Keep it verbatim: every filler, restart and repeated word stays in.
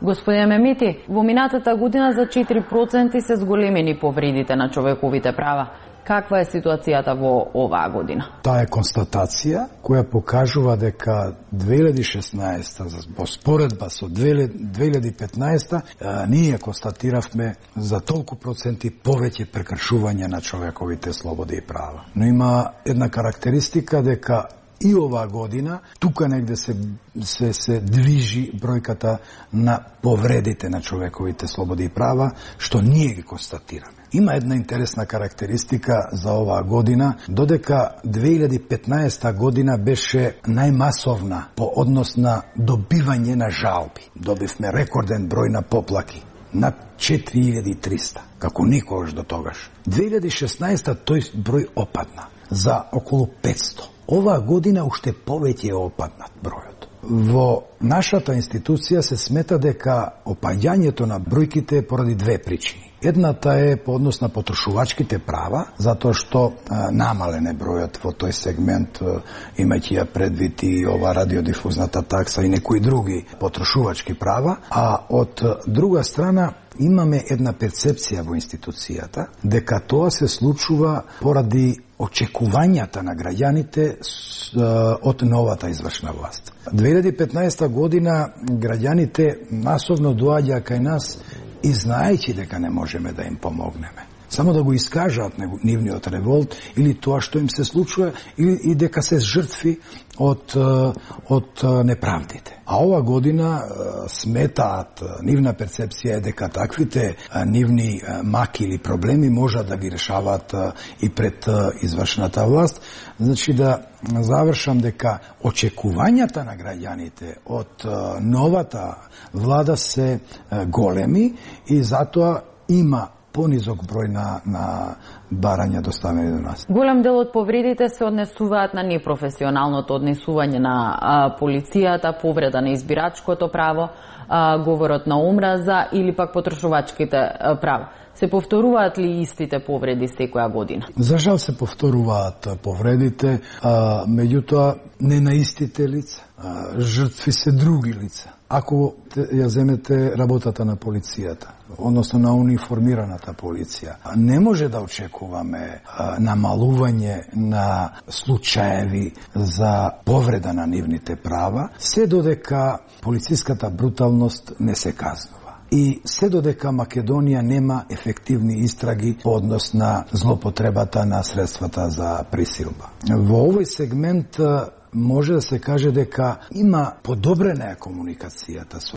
Господине Мемити, во минатата година за четири проценти се зголемени повредите на човековите права. Каква е ситуацијата во оваа година? Таа е констатација која покажува дека две илјади и шеснаесета, во споредба со две илјади и петнаесета, ние констатиравме за толку проценти повеќе прекршување на човековите слободи и права. Но има една карактеристика дека и оваа година тука негде се, се, се движи бројката на повредите на човековите слободи и права, што ние ги констатираме. Има една интересна карактеристика за оваа година, додека две илјади и петнаесета година беше најмасовна по однос на добивање на жалби. Добивме рекорден број на поплаки, над четири илјади и триста, како никогаш до тогаш. две илјади и шеснаесета тој број опадна за околу петсто. Оваа година уште повеќе е опаднат бројот. Во нашата институција се смета дека опаѓањето на бројките е поради две причини. Едната е по однос на потрошувачките права, затоа што а, намален е бројот во тој сегмент, имајќи ја предвид и ова радиодифузната такса и некои други потрошувачки права, а од друга страна имаме една перцепција во институцијата дека тоа се случува поради очекувањата на граѓаните од новата извршна власт. две илјади и петнаесета година граѓаните масовно доаѓаа кај нас и знаејќи дека не можеме да им помогнеме. Само да го искажаат нивниот револт или тоа што им се случува или и дека се жртви од, од неправдите. А ова година сметаат, нивна перцепција е дека таквите нивни маки или проблеми можат да ги решаваат и пред извршната власт. Значи да завршам дека очекувањата на граѓаните од новата влада се големи и затоа има понизок број на, на барања доставени до нас. Голем дел од повредите се однесуваат на непрофесионалното однесување на а, полицијата, повреда на избирачкото право, а, говорот на омраза или пак потрошувачките а, права. Се повторуваат ли истите повреди секоја година? За жал се повторуваат повредите, а, меѓутоа не на истите лица. А, жртви се други лица. Ако ја земете работата на полицијата, односно на униформираната полиција, не може да очекуваме а, намалување на случаеви за повреда на нивните права, се додека полициската бруталност не се казнува. И се додека Македонија нема ефективни истраги по однос на злопотребата на средствата за присилба. Во овој сегмент може да се каже дека има подобрена комуникацијата со